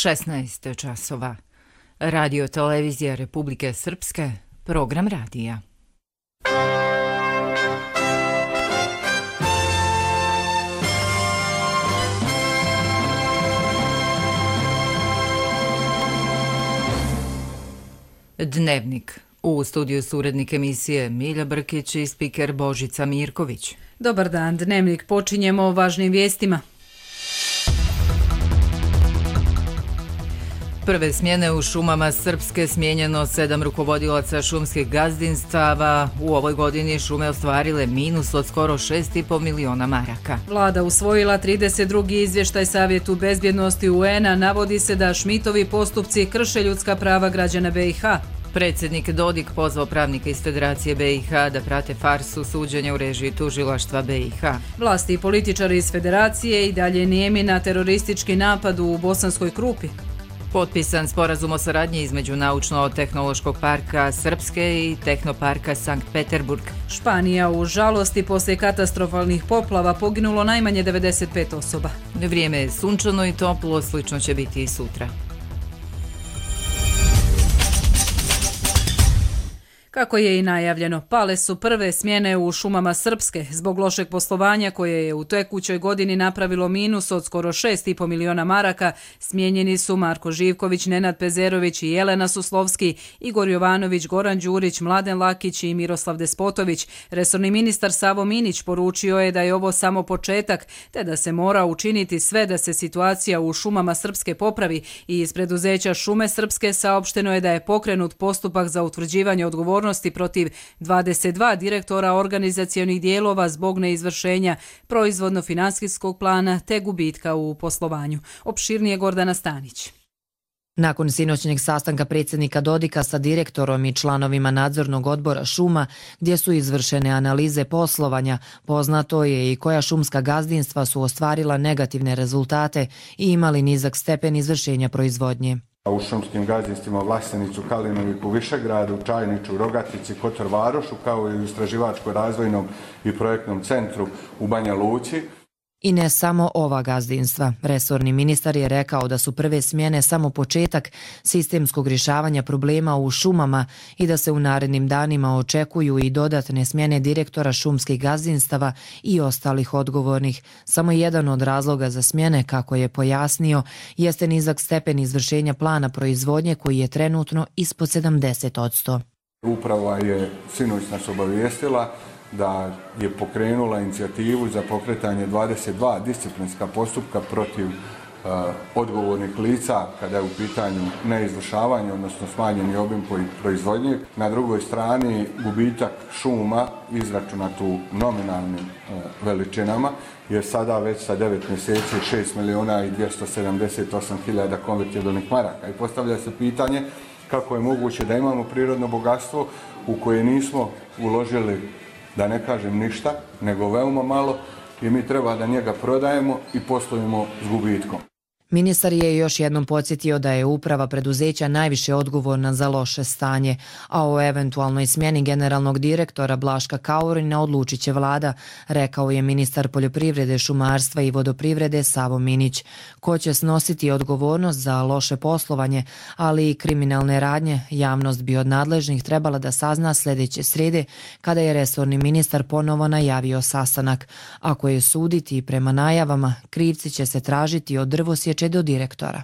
16 časova. Radio televizija Republike Srpske, program radija. Dnevnik. U studiju su urednik emisije Milja Brkić i spiker Božica Mirković. Dobar dan, Dnevnik počinjemo o važnim vijestima. Prve smjene u šumama Srpske, smijenjeno 7 rukovodilaca šumskih gazdinstava. U ovoj godini šume ostvarile minus od skoro 6,5 miliona maraka. Vlada usvojila 32. izvještaj Savjetu bezbjednosti UN-a. Navodi se da Šmitovi postupci krše ljudska prava građana BiH. Predsjednik Dodik pozvao pravnike iz Federacije BiH da prate farsu suđenja u režiji tužilaštva BiH. Vlasti i političari iz Federacije i dalje nijemi na teroristički napad u Bosanskoj Krupi. Potpisan sporazum o saradnji između Naučno-tehnološkog parka Srpske i Tehnoparka Sankt Peterburg. Španija u žalosti poslije katastrofalnih poplava poginulo najmanje 95 osoba. Vrijeme je sunčano i toplo, slično će biti i sutra. Kako je i najavljeno, pale su prve smjene u šumama Srpske zbog lošeg poslovanja koje je u tekućoj godini napravilo minus od skoro 6,5 miliona maraka. Smijenjeni su Marko Živković, Nenad Pezerović i Jelena Suslovski, Igor Jovanović, Goran Đurić, Mladen Lakić i Miroslav Despotović. Resorni ministar Savo Minić poručio je da je ovo samo početak, te da se mora učiniti sve da se situacija u šumama Srpske popravi. I iz preduzeća Šume Srpske saopšteno je da je pokrenut postupak za utvrđivanje odgovornosti protiv 22 direktora organizacionih dijelova zbog neizvršenja proizvodno-financijskog plana te gubitka u poslovanju. Opširnije Gordana Stanić. Nakon sinoćnjeg sastanka predsjednika Dodika sa direktorom i članovima nadzornog odbora šuma, gdje su izvršene analize poslovanja, poznato je i koja šumska gazdinstva su ostvarila negativne rezultate i imali nizak stepen izvršenja proizvodnje. U šumskim gazdinstvima Vlasenicu, Kalinoviku, Višegradu, Čajniču, Rogatici, Kotor Varošu, kao i u istraživačko-razvojnom i projektnom centru u Banja Luci. I ne samo ova gazdinstva. Resorni ministar je rekao da su prve smjene samo početak sistemskog rješavanja problema u šumama i da se u narednim danima očekuju i dodatne smjene direktora šumskih gazdinstava i ostalih odgovornih. Samo jedan od razloga za smjene, kako je pojasnio, jeste nizak stepen izvršenja plana proizvodnje koji je trenutno ispod 70%. Uprava je sinoć nas obavijestila da je pokrenula inicijativu za pokretanje 22 disciplinska postupka protiv odgovornih lica kada je u pitanju neizvršavanje, odnosno smanjeni obim proizvodnje. Na drugoj strani gubitak šuma izračunat u nominalnim veličinama je sada već sa 9 mjeseci 6 miliona i 278 hiljada konvertibilnih maraka. I postavlja se pitanje kako je moguće da imamo prirodno bogatstvo u koje nismo uložili, da ne kažem ništa, nego veoma malo, i mi treba da njega prodajemo i poslujemo s gubitkom. Ministar je još jednom podsjetio da je uprava preduzeća najviše odgovorna za loše stanje, a o eventualnoj smjeni generalnog direktora Blaška Kaurina odlučit će vlada, rekao je ministar poljoprivrede, šumarstva i vodoprivrede Savo Minić. Ko će snositi odgovornost za loše poslovanje, ali i kriminalne radnje, javnost bi od nadležnih trebala da sazna sljedeće srijede, kada je resorni ministar ponovo najavio sastanak. Ako je suditi prema najavama, krivci će se tražiti od drvosječe do direktora.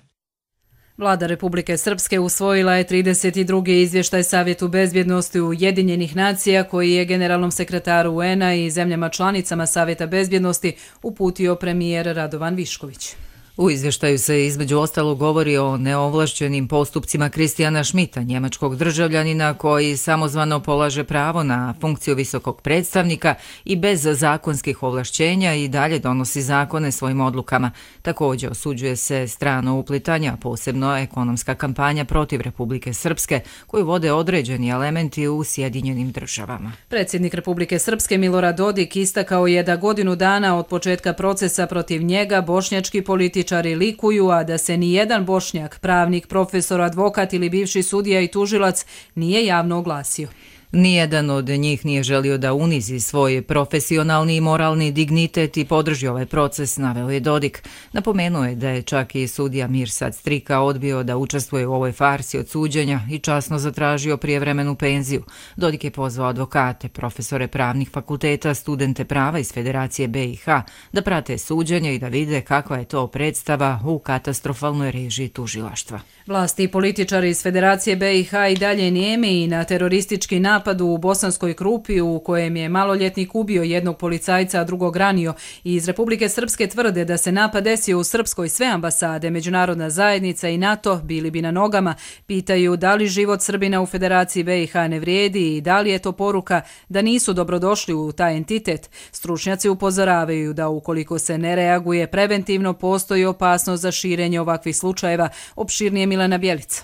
Vlada Republike Srpske usvojila je 32. izvještaj Savjetu bezbjednosti Ujedinjenih nacija koji je generalnom sekretaru UN-a i zemljama članicama Savjeta bezbjednosti uputio premijer Radovan Višković. U izvještaju se između ostalog govori o neovlašćenim postupcima Kristijana Šmita, njemačkog državljanina koji samozvano polaže pravo na funkciju visokog predstavnika i bez zakonskih ovlašćenja i dalje donosi zakone svojim odlukama. Također osuđuje se strano uplitanja, posebno ekonomska kampanja protiv Republike Srpske koju vode određeni elementi u Sjedinjenim državama. Predsjednik Republike Srpske Milorad Dodik istakao je da godinu dana od početka procesa protiv njega bošnjački političari likuju, a da se ni jedan Bošnjak, pravnik, profesor, advokat ili bivši sudija i tužilac nije javno oglasio. Nijedan od njih nije želio da unizi svoj profesionalni i moralni dignitet i podrži ovaj proces, naveo je Dodik. Napomenuo je da je čak i sudija Mirsad Strika odbio da učestvuje u ovoj farsi od suđenja i časno zatražio prijevremenu penziju. Dodik je pozvao advokate, profesore pravnih fakulteta, studente prava iz Federacije BiH da prate suđenje i da vide kakva je to predstava u katastrofalnoj režiji tužilaštva. Vlasti i političari iz Federacije BiH i dalje nijemi i na teroristički napad u Bosanskoj Krupi u kojem je maloljetnik ubio jednog policajca, a drugog ranio, i iz Republike Srpske tvrde da se napad desio u Srpskoj, sve ambasade, međunarodna zajednica i NATO bili bi na nogama. Pitaju da li život Srbina u Federaciji BiH ne vrijedi i da li je to poruka da nisu dobrodošli u taj entitet. Stručnjaci upozoravaju da ukoliko se ne reaguje preventivno, postoji opasnost za širenje ovakvih slučajeva. Opširnije Milena Bjelica.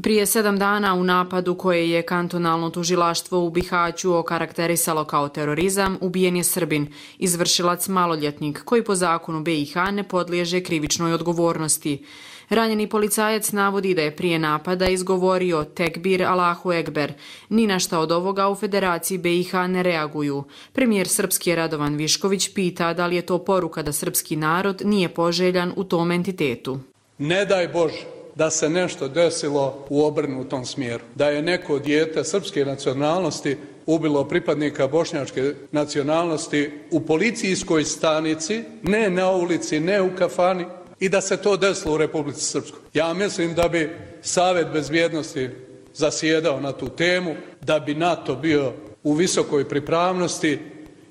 Prije 7 dana u napadu koje je kantonalno tužilaštvo u Bihaću okarakterisalo kao terorizam, ubijen je Srbin, izvršilac maloljetnik, koji po zakonu BiH ne podliježe krivičnoj odgovornosti. Ranjeni policajac navodi da je prije napada izgovorio Tekbir Allahu Ekber. Ni na šta od ovoga u Federaciji BiH ne reaguju. Premijer srpski Radovan Višković pita da li je to poruka da srpski narod nije poželjan u tom entitetu. Ne daj Bože da se nešto desilo u obrnutom smjeru. Da je neko dijete srpske nacionalnosti ubilo pripadnika bošnjačke nacionalnosti u policijskoj stanici, ne na ulici, ne u kafani, i da se to desilo u Republici Srpskoj. Ja mislim da bi Savet bezbjednosti zasjedao na tu temu, da bi NATO bio u visokoj pripravnosti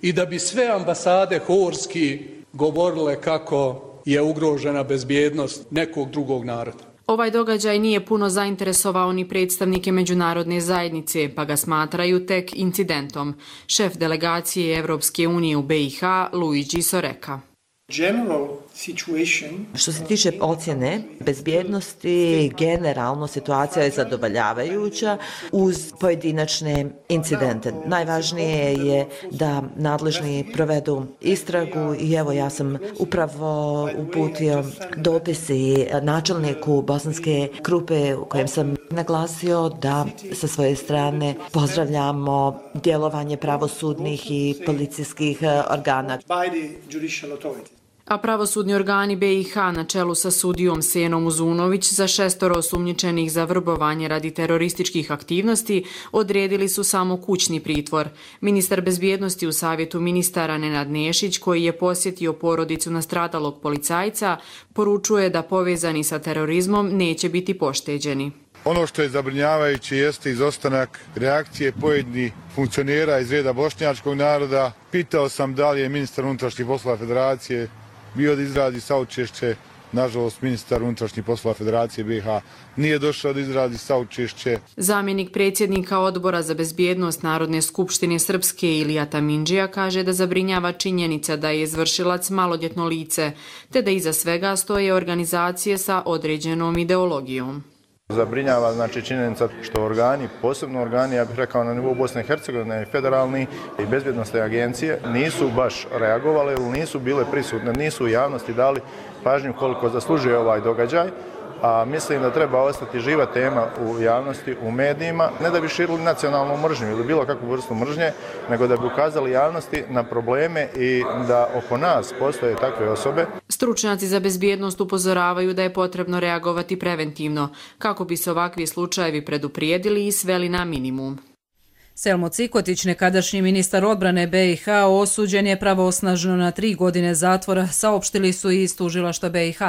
i da bi sve ambasade horski govorile kako je ugrožena bezbjednost nekog drugog naroda. Ovaj događaj nije puno zainteresovao ni predstavnike međunarodne zajednice, pa ga smatraju tek incidentom. Šef delegacije Evropske unije u BiH, Luigi Soreka. Što se tiče ocjene bezbjednosti, generalno situacija je zadovoljavajuća uz pojedinačne incidente. Najvažnije je da nadležni provedu istragu i evo ja sam upravo uputio dopis i načelniku Bosanske Krupe u kojem sam naglasio da sa svoje strane pozdravljamo djelovanje pravosudnih i policijskih organa. A pravosudni organi BiH na čelu sa sudijom Senom Uzunović za 6 osumnjičenih za vrbovanje radi terorističkih aktivnosti odredili su samo kućni pritvor. Ministar bezbjednosti u Savjetu ministara Nenad Nešić, koji je posjetio porodicu nastradalog policajca, poručuje da povezani sa terorizmom neće biti pošteđeni. Ono što je zabrinjavajuće jeste izostanak reakcije pojedinih funkcionera iz reda bošnjačkog naroda. Pitao sam da li je ministar unutrašnjih poslova Federacije bio da izradi saučešće. Nažalost, ministar unutrašnjih poslova Federacije BiH nije došao da izradi saučešće. Zamjenik predsjednika Odbora za bezbjednost Narodne skupštine Srpske Ilija Tamindžija kaže da zabrinjava činjenica da je izvršilac maloljetno lice, te da iza svega stoje organizacije sa određenom ideologijom. Zabrinjava znači činjenica što organi, posebno organi, ja bih rekao na nivou Bosne i Hercegovine, federalni i bezbjednosne agencije, nisu baš reagovale ili nisu bile prisutne, nisu u javnosti dali pažnju koliko zaslužuje ovaj događaj. A mislim da treba ostati živa tema u javnosti, u medijima, ne da bi širili nacionalnu mržnju ili bilo kakvu vrstu mržnje, nego da bi ukazali javnosti na probleme i da oko nas postoje takve osobe. Stručnjaci za bezbjednost upozoravaju da je potrebno reagovati preventivno, kako bi se ovakvi slučajevi preduprijedili i sveli na minimum. Selmo Cikotić, nekadašnji ministar odbrane BiH, osuđen je pravosnažno na 3 godine zatvora, saopštili su i iz tužilaštva BiH.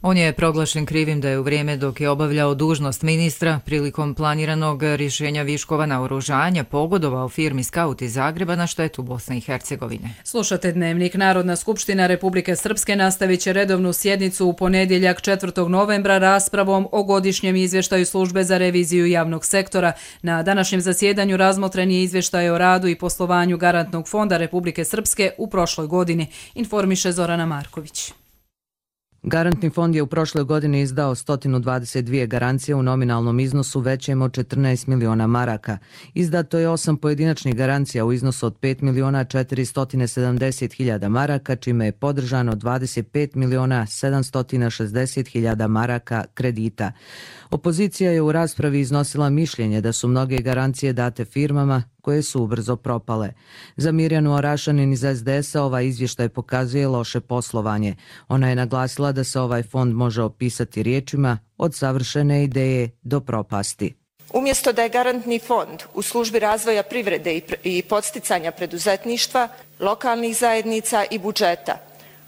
On je proglašen krivim da je u vrijeme dok je obavljao dužnost ministra prilikom planiranog rješenja viškova naoružanja pogodovao firmi Skaut iz Zagreba na štetu Bosne i Hercegovine. Slušate Dnevnik. Narodna skupština Republike Srpske nastavit će redovnu sjednicu u ponedjeljak 4. novembra raspravom o godišnjem izvještaju službe za reviziju javnog sektora. Na današnjem zasjedanju razmotren je izvještaj o radu i poslovanju Garantnog fonda Republike Srpske u prošloj godini, informiše Zorana Marković. Garantni fond je u prošloj godini izdao 122 garancije u nominalnom iznosu većem od 14 miliona maraka. Izdato je 8 pojedinačnih garancija u iznosu od 5 miliona 470 hiljada maraka, čime je podržano 25 miliona 760 hiljada maraka kredita. Opozicija je u raspravi iznosila mišljenje da su mnoge garancije date firmama koje su ubrzo propale. Za Mirjanu Orašanin iz SDS-a ovaj izvještaj pokazuje loše poslovanje. Ona je naglasila da se ovaj fond može opisati riječima od savršene ideje do propasti. Umjesto da je garantni fond u službi razvoja privrede i podsticanja preduzetništva, lokalnih zajednica i budžeta,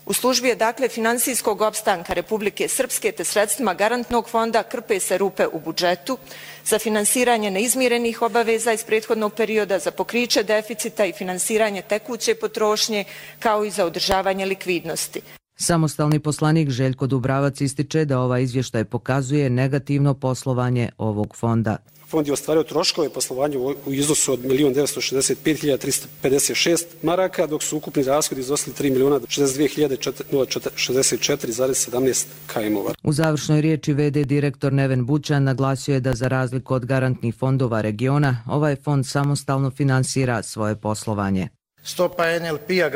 u službi je dakle financijskog opstanka Republike Srpske te sredstvima garantnog fonda krpe se rupe u budžetu za finansiranje neizmirenih obaveza iz prethodnog perioda, za pokriće deficita i finansiranje tekuće potrošnje kao i za održavanje likvidnosti. Samostalni poslanik Željko Dubravac ističe da ovaj izvještaj pokazuje negativno poslovanje ovog fonda. Fond je ostvario troškove poslovanja u iznosu od 1.965.356 maraka, dok su ukupni rashodi iznosili 3.062.064,17 km-ova. U završnoj riječi VD direktor Neven Bućan naglasio je da za razliku od garantnih fondova regiona, ovaj fond samostalno finansira svoje poslovanje. Stopa NLP-a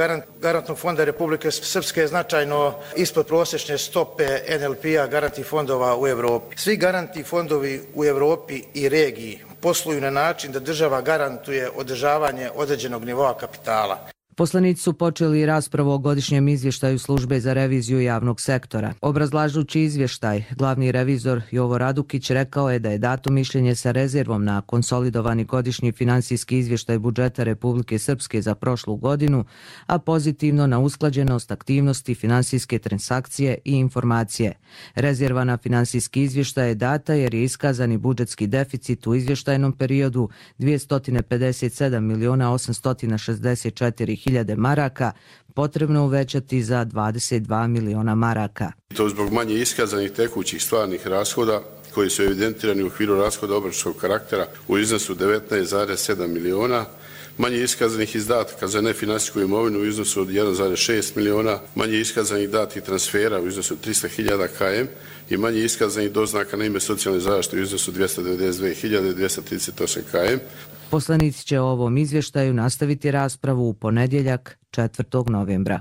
garantnog fonda Republike Srpske je značajno ispod prosječne stope NLP-a garantnih fondova u Europi. Svi garantni fondovi u Europi i regiji posluju na način da država garantuje održavanje određenog nivoa kapitala. Poslanici su počeli raspravu o godišnjem izvještaju Službe za reviziju javnog sektora. Obrazlažući izvještaj, glavni revizor Jovo Radukić rekao je da je dato mišljenje sa rezervom na konsolidovani godišnji finansijski izvještaj budžeta Republike Srpske za prošlu godinu, a pozitivno na usklađenost aktivnosti finansijske transakcije i informacije. Rezerva na finansijski izvještaj je data jer je iskazani budžetski deficit u izvještajnom periodu 257.864.000 maraka potrebno uvećati za 22 miliona maraka. To zbog manje iskazanih tekućih stvarnih rashoda koji su evidentirani u okviru rashoda obračunskog karaktera u iznosu 19,7 miliona, manje iskazanih izdataka za nefinansijsku imovinu u iznosu od 1,6 miliona, manje iskazanih datih transfera u iznosu 300.000 km i manje iskazanih doznaka na ime socijalne zaštite u iznosu 292.238 km. Poslanici će o ovom izvještaju nastaviti raspravu u ponedjeljak 4. novembra.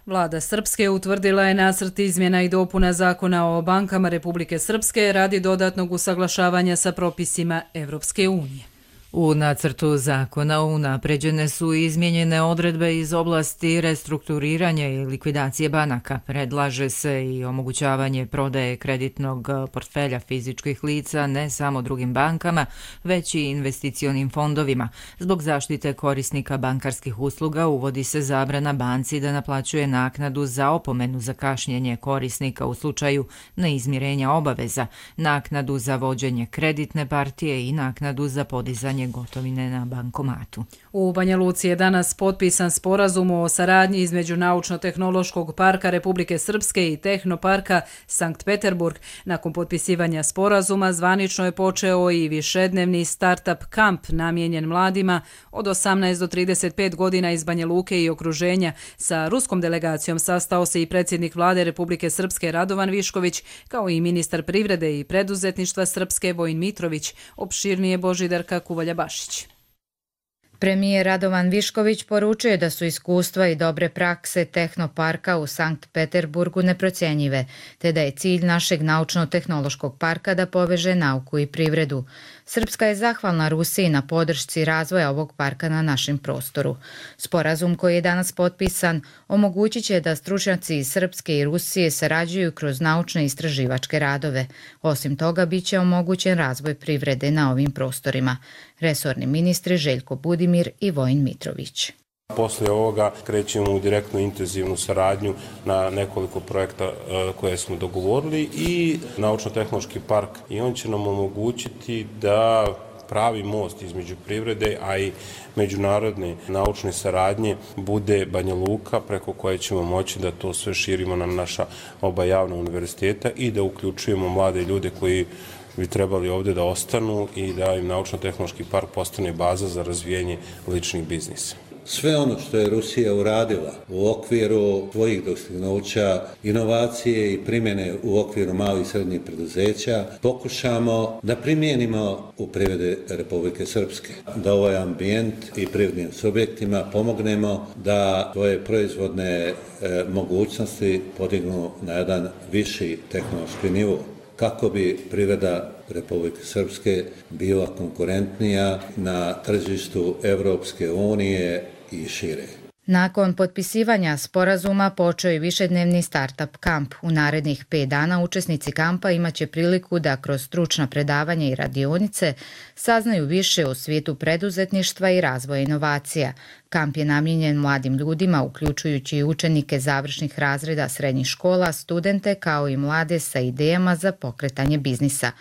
Vlada Srpske utvrdila je nacrt izmjena i dopuna Zakona o bankama Republike Srpske radi dodatnog usaglašavanja sa propisima Evropske unije. U nacrtu zakona unapređene su izmijenjene odredbe iz oblasti restrukturiranja i likvidacije banaka. Predlaže se i omogućavanje prodaje kreditnog portfelja fizičkih lica ne samo drugim bankama, već i investicionim fondovima. Zbog zaštite korisnika bankarskih usluga uvodi se zabrana banci da naplaćuje naknadu za opomenu za kašnjenje korisnika u slučaju neizmirenja obaveza, naknadu za vođenje kreditne partije i naknadu za podizanje gotovine na bankomatu. U Banja Luci je danas potpisan sporazum o saradnji između Naučno-tehnološkog parka Republike Srpske i Tehnoparka Sankt Peterburg. Nakon potpisivanja sporazuma zvanično je počeo i višednevni start-up kamp namijenjen mladima od 18 do 35 godina iz Banja Luke i okruženja. Sa ruskom delegacijom sastao se i predsjednik vlade Republike Srpske Radovan Višković, kao i ministar privrede i preduzetništva Srpske Vojin Mitrović. Opširnije Božidarka Kuvalja-Bašić. Premijer Radovan Višković poručuje da su iskustva i dobre prakse Tehnoparka u Sankt Peterburgu neprocjenjive, te da je cilj našeg naučno-tehnološkog parka da poveže nauku i privredu. Srpska je zahvalna Rusiji na podršci razvoja ovog parka na našem prostoru. Sporazum koji je danas potpisan omogućit će da stručnjaci iz Srpske i Rusije sarađuju kroz naučne istraživačke radove. Osim toga, bit će omogućen razvoj privrede na ovim prostorima. Resorni ministri Željko Budimir i Vojin Mitrović. Poslije ovoga krećemo u direktnu intenzivnu saradnju na nekoliko projekta koje smo dogovorili i Naučno-tehnološki park. I on će nam omogućiti da pravi most između privrede, a i međunarodne naučne saradnje bude Banja Luka, preko koje ćemo moći da to sve širimo na naša oba javna univerziteta i da uključujemo mlade ljude koji bi trebali ovdje da ostanu i da im Naučno-tehnološki park postane baza za razvijanje ličnih biznisa. sve ono što je Rusija uradila u okviru svojih dostignuća, inovacije i primjene u okviru malih i srednjih preduzeća, pokušamo da primijenimo u privredi Republike Srpske. Da ovaj ambijent i privrednim subjektima pomognemo da svoje proizvodne mogućnosti podignu na jedan viši tehnološki nivo, kako bi privreda Republike Srpske bila konkurentnija na tržištu Evropske unije i šire. Nakon potpisivanja sporazuma počeo je višednevni startup kamp. U narednih 5 dana učesnici kampa imaće priliku da kroz stručna predavanja i radionice saznaju više o svijetu preduzetništva i razvoja inovacija. Kamp je namijenjen mladim ljudima, uključujući i učenike završnih razreda srednjih škola, studente kao i mlade sa idejama za pokretanje biznisa.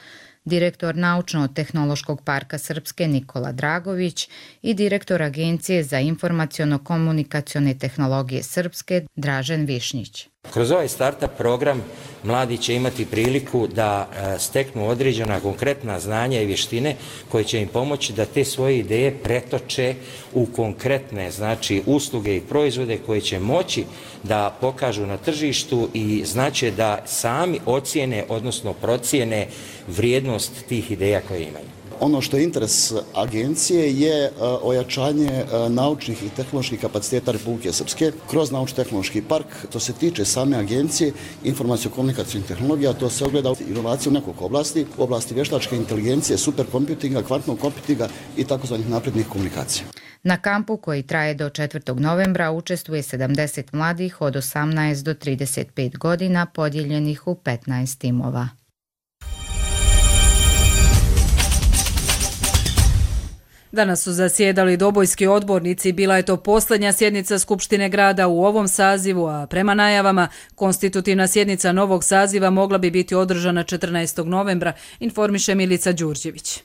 Direktor Naučno-tehnološkog parka Srpske Nikola Dragović i direktor Agencije za informaciono-komunikacione tehnologije Srpske Dražen Višnjić. Kroz ovaj startup program mladi će imati priliku da steknu određena konkretna znanja i vještine koje će im pomoći da te svoje ideje pretoče u konkretne usluge i proizvode koje će moći da pokažu na tržištu i znače da sami ocijene, odnosno procijene vrijednost tih ideja koje imaju. Ono što je interes agencije je ojačanje naučnih i tehnoloških kapaciteta Republike Srpske kroz Naučno-tehnološki park. To se tiče same agencije informacijo-komunikacijnih tehnologija, to se ogleda inovacije u nekoliko oblasti, u oblasti vještačke inteligencije, superkomputinga, kvantnog komputinga i takozvanih naprednih komunikacija. Na kampu koji traje do 4. novembra učestvuje 70 mladih od 18 do 35 godina podijeljenih u 15 timova. Danas su zasjedali dobojski odbornici, bila je to posljednja sjednica Skupštine grada u ovom sazivu, a prema najavama konstitutivna sjednica novog saziva mogla bi biti održana 14. novembra, informiše Milica Đurđević.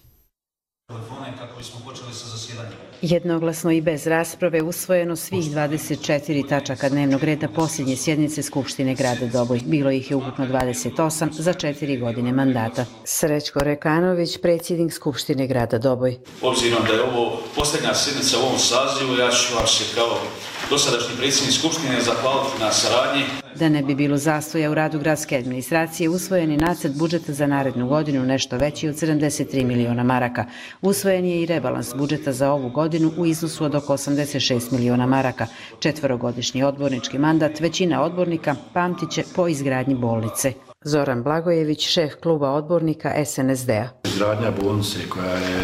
Jednoglasno i bez rasprave usvojeno svih 24 tačaka dnevnog reda posljednje sjednice Skupštine grada Doboj. Bilo ih je ukupno 28 za 4 godine mandata. Srećko Rekanović, predsjednik Skupštine grada Doboj. Obzirom da je ovo posljednja sjednica u ovom sazivu, ja ću vam se kao dosadašnji predsjednik Skupštine zahvaliti na saradnji. Da ne bi bilo zastoja u radu gradske administracije, usvojen je nacrt budžeta za narednu godinu nešto veći od 73 miliona maraka. Usvojen je i rebalans budžeta za ovu godinu u iznosu od oko 86 miliona maraka. 4-godišnji odbornički mandat većina odbornika pamtiće po izgradnji bolnice. Zoran Blagojević, šef kluba odbornika SNSD-a. Izgradnja bolnice koja je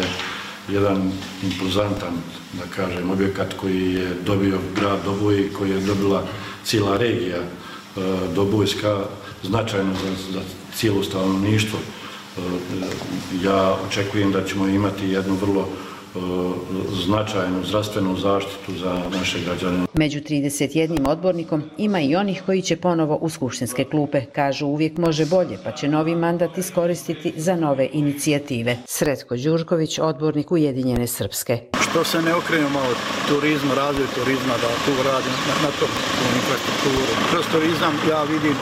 jedan impozantan, da kažem, objekat koji je dobio grad Doboj i koji je dobila cijela regija Dobojska, značajno za cijelo stanovništvo. Ja očekujem da ćemo imati jednu vrlo značajnu zdravstvenu zaštitu za naše građane. Među 31 odbornikom ima i onih koji će ponovo u skupštinske klupe. Kažu uvijek može bolje, pa će novi mandat iskoristiti za nove inicijative. Sretko Đurković, odbornik Ujedinjene Srpske. Što se ne okrenemo malo turizma, razvoj turizma, da tu radim na tom infrastrukturu. Kroz turizam ja vidim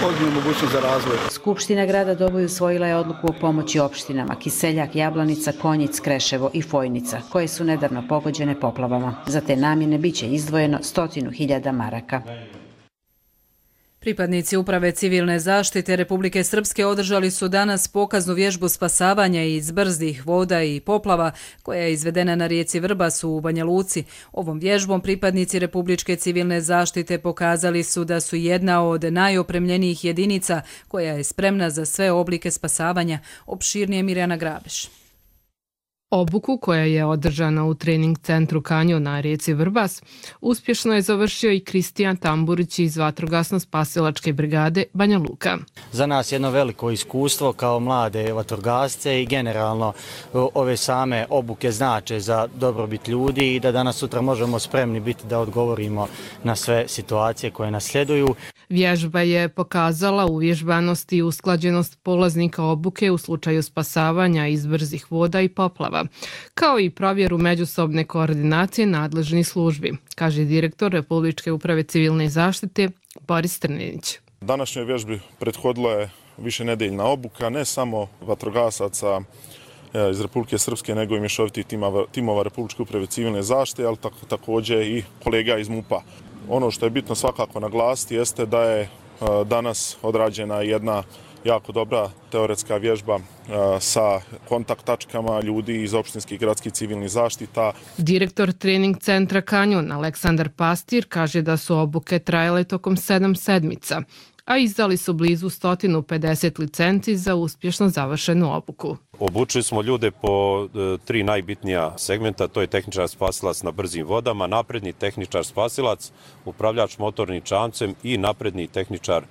ozbiljnu mogućnost za razvoj. Skupština grada Doboj usvojila je odluku o pomoći opštinama Kiseljak, Jablanica, Konjic, Kreševo i Fojnica, koje su nedavno pogođene poplavama. Za te namjene biće izdvojeno 100.000 maraka. Pripadnici Uprave civilne zaštite Republike Srpske održali su danas pokaznu vježbu spasavanja iz brzdih voda i poplava koja je izvedena na rijeci Vrbas u Banja Luci. Ovom vježbom pripadnici Republičke civilne zaštite pokazali su da su jedna od najopremljenijih jedinica koja je spremna za sve oblike spasavanja. Opširnije Mirjana Grabeš. Obuku koja je održana u trening centru Kanjon na rijeci Vrbas uspješno je završio i Kristijan Tamburić iz Vatrogasno-spasilačke brigade Banja Luka. Za nas jedno veliko iskustvo kao mlade vatrogasce i generalno ove same obuke znače za dobrobit ljudi i da danas sutra možemo spremni biti da odgovorimo na sve situacije koje nas sljeduju. Vježba je pokazala uvježbanost i usklađenost polaznika obuke u slučaju spasavanja iz brzih voda i poplava, kao i provjeru međusobne koordinacije nadležnih službi, kaže direktor Republičke uprave civilne zaštite Boris Trninić. Današnjoj vježbi prethodila je višenedeljna obuka ne samo vatrogasaca iz Republike Srpske, nego i mješovitih timova Republičke uprave civilne zaštite, ali također i kolega iz MUP-a. Ono što je bitno svakako naglasiti jeste da je danas odrađena jedna jako dobra teoretska vježba sa kontakt tačkama ljudi iz opštinskih gradskih civilnih zaštita. Direktor trening centra Kanjon Aleksandar Pastir kaže da su obuke trajale tokom 7 sedmica, a izdali su blizu 150 licenci za uspješno završenu obuku. Obučili smo ljude po 3 najbitnija segmenta, to je tehničar spasilac na brzim vodama, napredni tehničar spasilac, upravljač motornim čamcem i napredni tehničar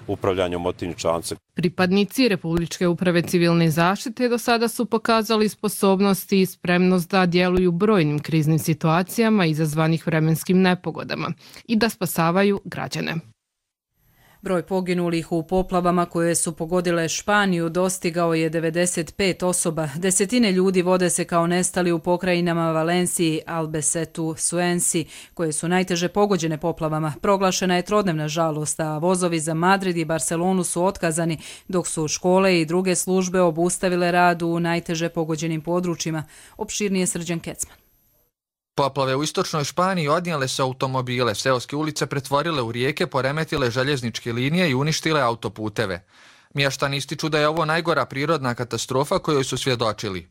upravljanja motornim čamcem. Pripadnici Republičke uprave civilne zaštite do sada su pokazali sposobnosti i spremnost da djeluju u brojnim kriznim situacijama izazvanih vremenskim nepogodama i da spasavaju građane. Broj poginulih u poplavama koje su pogodile Španiju dostigao je 95 osoba. Desetine ljudi vode se kao nestali u pokrajinama Valenciji, Albacetu, Suensi, koje su najteže pogođene poplavama. Proglašena je trodnevna žalost, a vozovi za Madrid i Barcelonu su otkazani, dok su škole i druge službe obustavile rad u najteže pogođenim područjima. Opširnije Srđan Kecman. Poplave u istočnoj Španiji odnijele su automobile, seoske ulice pretvorile u rijeke, poremetile željezničke linije i uništile autoputeve. Mještani ističu da je ovo najgora prirodna katastrofa kojoj su svjedočili.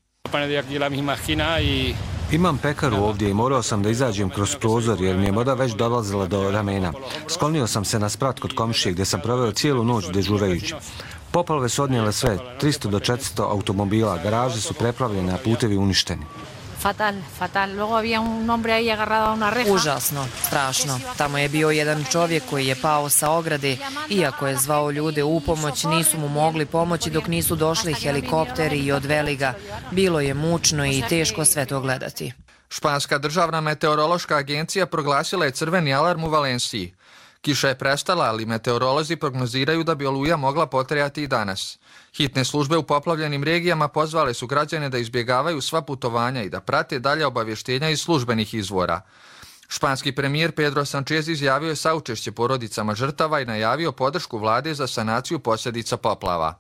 Imam pekaru ovdje i morao sam da izađem kroz prozor jer mi je voda već dolazila do ramena. Sklonio sam se na sprat kod komšije gdje sam proveo cijelu noć dežurajući. Poplave su odnijele sve, 300 do 400 automobila, garaže su preplavljene, a putevi uništeni. Užasno, strašno. Tamo je bio jedan čovjek koji je pao sa ograde. Iako je zvao ljude u pomoć, nisu mu mogli pomoći dok nisu došli helikopteri i odveli ga. Bilo je mučno i teško sve to gledati. Španska državna meteorološka agencija proglasila je crveni alarm u Valenciji. Kiša je prestala, ali meteorolozi prognoziraju da bi oluja mogla potrajati i danas. Hitne službe u poplavljenim regijama pozvale su građane da izbjegavaju sva putovanja i da prate dalje obavještenja iz službenih izvora. Španski premijer Pedro Sánchez izjavio je saučešće porodicama žrtava i najavio podršku vlade za sanaciju posljedica poplava.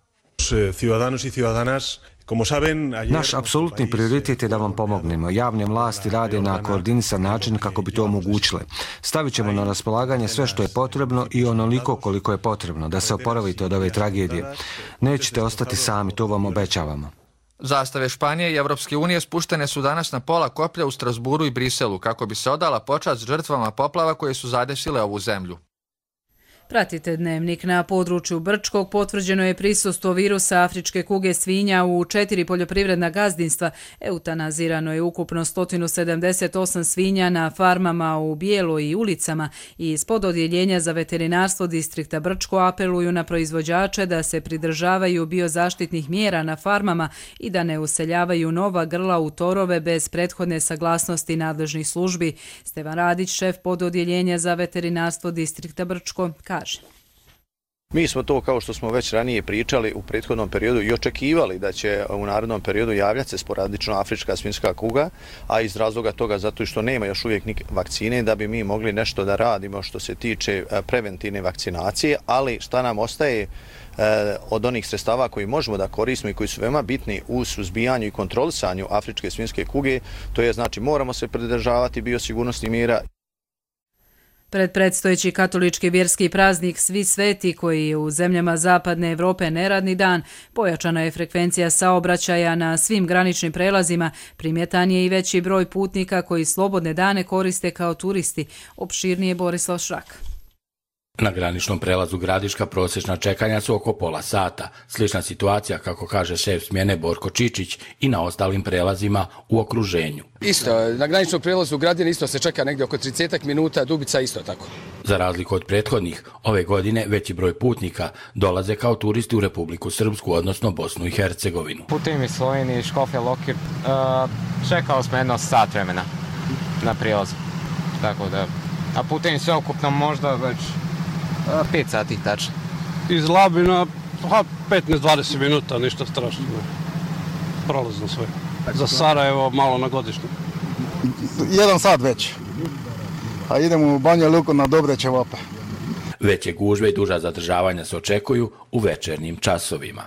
Naš apsolutni prioritet je da vam pomognemo. Javne vlasti rade na koordinisan način kako bi to omogućile. Stavit ćemo na raspolaganje sve što je potrebno i onoliko koliko je potrebno da se oporavite od ove tragedije. Nećete ostati sami, to vam obećavamo. Zastave Španije i Evropske unije spuštene su danas na pola koplja u Strasburu i Briselu kako bi se odala počast žrtvama poplava koje su zadesile ovu zemlju. Pratite Dnevnik. Na području Brčkog potvrđeno je prisustvo virusa afričke kuge svinja u 4 poljoprivredna gazdinstva. Eutanazirano je ukupno 178 svinja na farmama u Bijeloj i Ulicama i ispod odjeljenja za veterinarstvo distrikta Brčko apeluju na proizvođače da se pridržavaju biozaštitnih mjera na farmama i da ne useljavaju nova grla u torove bez prethodne saglasnosti nadležnih službi. Stevan Radić, šef pododjeljenja za veterinarstvo distrikta Brčko, kaže. Mi smo to, kao što smo već ranije pričali u prethodnom periodu, i očekivali da će u narednom periodu javljati se sporadično afrička svinjska kuga, a iz razloga toga zato što nema još uvijek ni vakcine, da bi mi mogli nešto da radimo što se tiče preventivne vakcinacije, ali šta nam ostaje od onih sredstava koji možemo da koristimo i koji su veoma bitni u suzbijanju i kontrolisanju afričke svinjske kuge, to je znači moramo se pridržavati biosigurnosnih mjera. Pred predstojeći katolički vjerski praznik Svi sveti, koji je u zemljama Zapadne Evrope neradni dan, pojačana je frekvencija saobraćaja na svim graničnim prelazima, primjetan je i veći broj putnika koji slobodne dane koriste kao turisti. Opširnije Borislav Šrak. Na graničnom prelazu Gradiška prosječna čekanja su oko pola sata. Slična situacija, kako kaže šef smjene Borko Čičić, i na ostalim prelazima u okruženju. Isto, na graničnom prelazu Gradine isto se čeka negdje oko 30 minuta, Dubica isto tako. Za razliku od prethodnih, ove godine veći broj putnika dolaze kao turisti u Republiku Srpsku, odnosno Bosnu i Hercegovinu. Putujem iz Slovenije, Škofja Lokir, čekao smo jedno sat vremena na prijelazu. Tako da, a putujem sve ukupno možda već 5 sati tačno. Iz Labina 15-20 minuta, ništa strašno. Prolazno sve. Za Sarajevo malo na godišnju. 1 sat već. A idemo u Banja Luku na dobre ćevape. Veće gužve i duža zadržavanja se očekuju u večernjim časovima.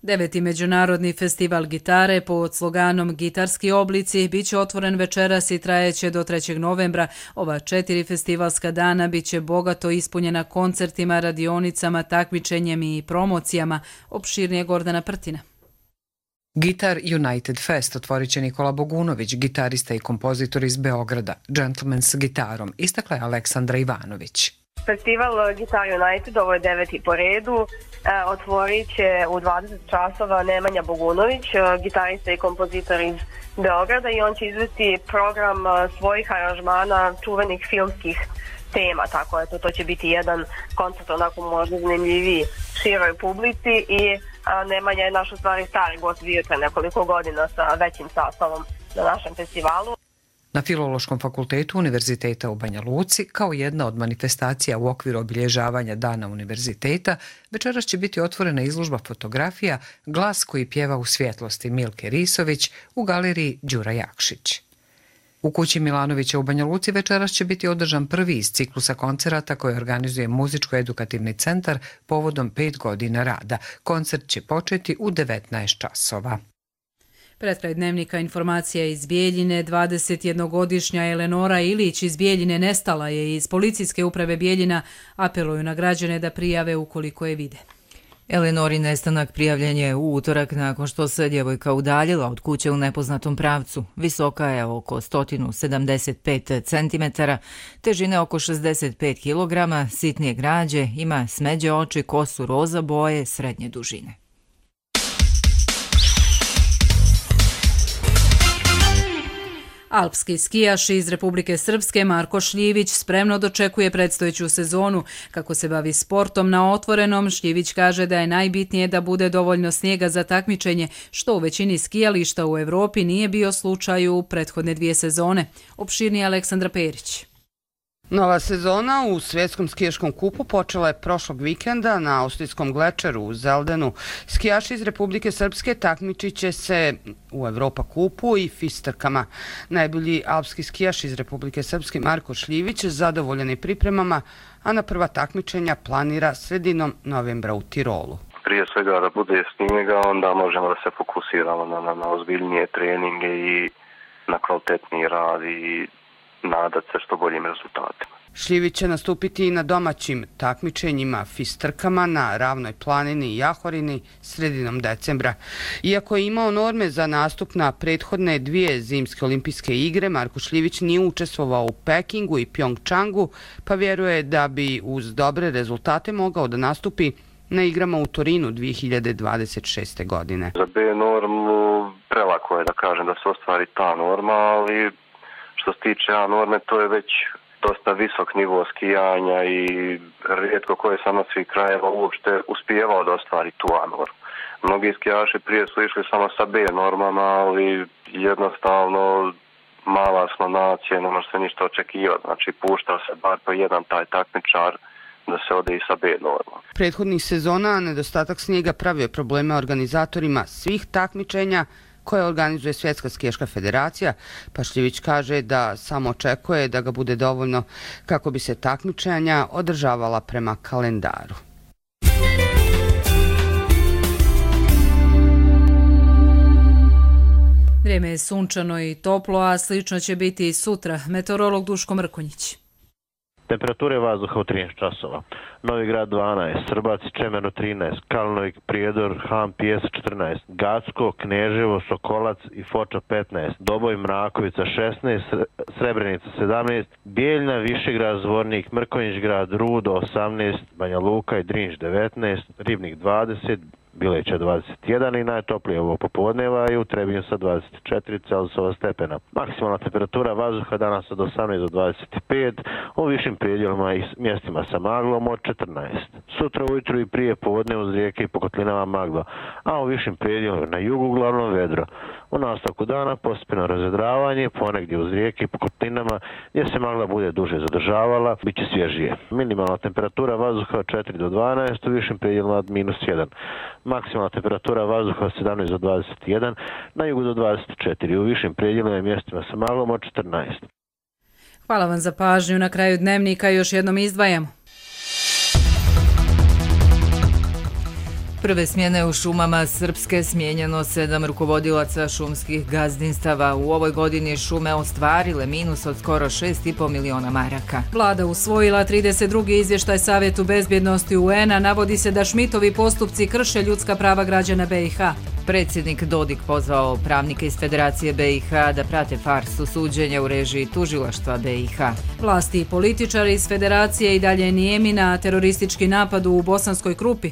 9. međunarodni festival gitare pod sloganom Gitarski oblici bit će otvoren večeras i trajeće do 3. novembra. Ova 4 festivalska dana bit će bogato ispunjena koncertima, radionicama, takmičenjem i promocijama. Opširnije Gordana Prtina. Guitar United Fest otvorit će Nikola Bogunović, gitarista i kompozitor iz Beograda. Gentleman s gitarom, istakla je Aleksandra Ivanović. Festival Guitar United, ovo je 9. po redu, otvorit će u 20 časova Nemanja Bogunović, gitarista i kompozitor iz Beograda, i on će izvesti program svojih aranžmana čuvenih filmskih tema, tako je to će biti jedan koncert onako možda zanimljiviji široj publici i Nemanja je naš u stvari stari gost, bio pre nekoliko godina sa većim sastavom na našem festivalu. Na Filološkom fakultetu Univerziteta u Banja Luci, kao jedna od manifestacija u okviru obilježavanja Dana univerziteta, večeras će biti otvorena izložba fotografija Glas koji pjeva u svjetlosti Milke Risović u galeriji Đura Jakšić. U kući Milanovića u Banja Luci večeras će biti održan prvi iz ciklusa koncerata koje organizuje Muzičko-edukativni centar povodom 5 godina rada. Koncert će početi u 19 časova. Pred kraj dnevnika informacija iz Bijeljine. 21-godišnja Eleonora Ilić iz Bijeljine nestala je. Iz policijske uprave Bijeljina apeluju na građane da prijave ukoliko je vide. Eleonori nestanak prijavljen je u utorak nakon što se djevojka udaljila od kuće u nepoznatom pravcu. Visoka je oko 175 cm, težine oko 65 kg, sitnije građe, ima smeđe oči, kosu roza boje, srednje dužine. Alpski skijaš iz Republike Srpske Marko Šljivić spremno dočekuje predstojeću sezonu. Kako se bavi sportom na otvorenom, Šljivić kaže da je najbitnije da bude dovoljno snijega za takmičenje, što u većini skijališta u Evropi nije bio slučaj u prethodne 2 sezone. Opširnije Aleksandra Perić. Nova sezona u Svjetskom skijaškom kupu počela je prošlog vikenda na austrijskom glečeru u Zeldenu. Skijaši iz Republike Srpske takmičit će se u Evropa kupu i fistrkama. Najbolji alpski skijaš iz Republike Srpske Marko Šljivić zadovoljan je pripremama, a na prva takmičenja planira sredinom novembra u Tirolu. Prije svega da bude snijega, onda možemo da se fokusiramo na ozbiljnije treninge i na kvalitetniji rad i nadat se što boljim rezultatima. Šljivić će nastupiti i na domaćim takmičenjima fistrkama na Ravnoj planini i Jahorini sredinom decembra. Iako je imao norme za nastup na prethodne 2 zimske olimpijske igre, Marko Šljivić nije učestvovao u Pekingu i Pjongčangu, pa vjeruje da bi uz dobre rezultate mogao da nastupi na igrama u Torinu 2026. godine. Za B normu prelako je da kažem da se ostvari ta norma, ali što se tiče A norme, to je već dosta visok nivo skijanja i rijetko koje samo svih krajeva uopšte uspijevao da ostvari tu A normu. Mnogi skijaši prije su išli samo sa B normama, ali jednostavno mala smo nacija, ne može se ništa očekivati. Znači puštao se bar po jedan taj takmičar da se ode i sa B normom. Prethodnih sezona nedostatak snijega pravio probleme organizatorima svih takmičenja koje organizuje Svjetska skijaška federacija, pa Šljivić kaže da samo očekuje da ga bude dovoljno kako bi se takmičenja održavala prema kalendaru. Vrijeme je sunčano i toplo, a slično će biti i sutra. Meteorolog Duško Mrkonjić. Temperature vazduha u 13 časova. Novi Grad 12, Srbac i Čemerno 13, Kalnovik, Prijedor, Han, Pijes 14, Gacko, Kneževo, Sokolac i Foča 15, Doboj, Mrakovica 16, Srebrenica 17, Bijeljna, Višegrad, Zvornik, Mrkonjić Grad, Rudo 18, Banja Luka i Drinč 19, Ribnik 20, Bileća 21 i najtoplije ovo popodneva i u Trebinju sa 24 Celzijusova stepena. Maksimalna temperatura vazduha danas od 18 do 25, u višim predjelima i mjestima sa maglom od 14. Sutra ujutru i prije podne uz rijeke i po kotlinama magla, a u višim predjelima na jugu uglavnom vedro. U nastavku dana postepeno razvedravanje, ponegdje uz rijeke i po kotlinama gdje se magla bude duže zadržavala, bit će svježije. Minimalna temperatura vazduha od 4 do 12, u višim predjelima od -1. Maksimalna temperatura vazduha od 17 do 21, na jugu do 24, u višim predjelima i mjestima sa maglom od 14. Hvala vam za pažnju. Na kraju dnevnika još jednom izdvajamo. Prve smjene u šumama Srpske smijenjeno 7 rukovodilaca šumskih gazdinstava. U ovoj godini šume ostvarile minus od skoro 6,5 miliona maraka. Vlada usvojila 32. izvještaj Savjetu bezbjednosti UN-a. Navodi se da Šmitovi postupci krše ljudska prava građana BiH. Predsjednik Dodik pozvao pravnike iz Federacije BiH da prate farsu suđenja u režiji tužilaštva BiH. Vlasti i političari iz Federacije i dalje nijemi na teroristički napad u Bosanskoj Krupi.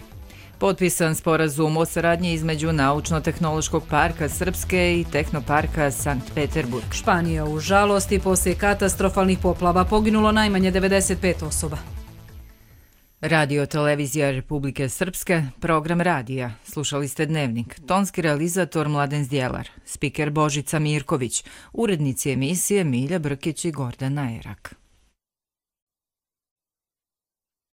Potpisan sporazum o saradnji između Naučno-tehnološkog parka Srpske i Tehnoparka Sankt Peterburg. Španija u žalosti poslije katastrofalnih poplava poginulo najmanje 95 osoba. Radio televizija Republike Srpske, program radija. Slušali ste Dnevnik. Tonski realizator Mladen Zdjelar, spiker Božica Mirković, urednici emisije Milja Brkić i Gordana Erak.